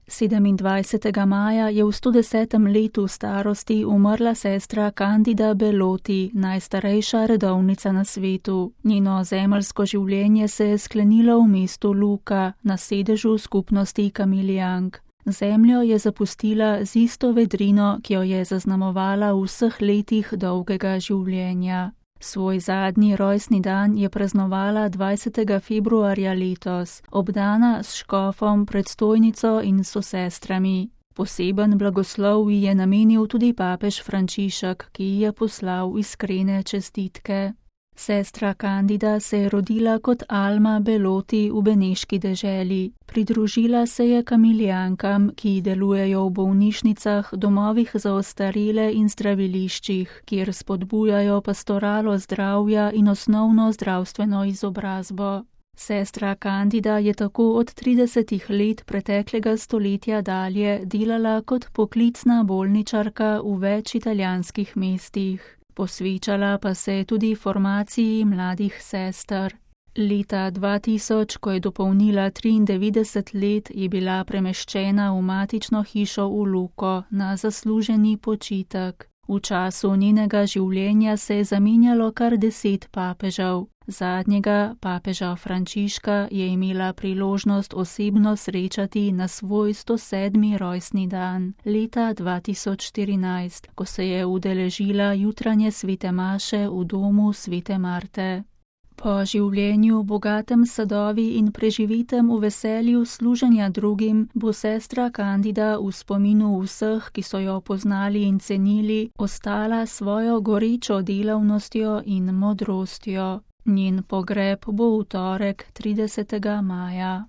27. maja je v 110. letu starosti umrla sestra Candida Belloti, najstarejša redovnica na svetu. Njeno zemeljsko življenje se je sklenilo v mestu Lucca, na sedežu skupnosti Kamilijank. Zemljo je zapustila z isto vedrino, ki jo je zaznamovala v vseh letih dolgega življenja. Svoj zadnji rojstni dan je praznovala 20. februarja letos, obdana s škofom, predstojnico in sosestrami. Poseben blagoslov ji je namenil tudi papež Frančišek, ki ji je poslal iskrene čestitke. Sestra Candida se je rodila kot Alma Belloti v beneški deželi. Pridružila se je Kamilijankam, ki delujejo v bolnišnicah, domovih za ostarele in zdraviliščih, kjer spodbujajo pastoralo zdravja in osnovno zdravstveno izobrazbo. Sestra Candida je tako od 30 let preteklega stoletja dalje delala kot poklicna bolničarka v več italijanskih mestih. Posvečala pa se je tudi formaciji mladih sester. Leta 2000, ko je dopolnila 93 let, je bila premeščena v matično hišo v Lucco na zasluženi počitek. V času njenega življenja se je zamenjalo kar 10 papežev. Zadnjega, papeža Frančiška, je imela priložnost osebno srečati na svoj 107. rojstni dan, leta 2014, ko se je udeležila jutranje svete maše v domu svete Marte. Po življenju, bogatem sadovi in preživitem v veselju služenja drugim, bo sestra Candida v spominu vseh, ki so jo poznali in cenili, ostala svojo gorečo delavnostjo in modrostjo. Njen pogreb bo v torek 30. maja.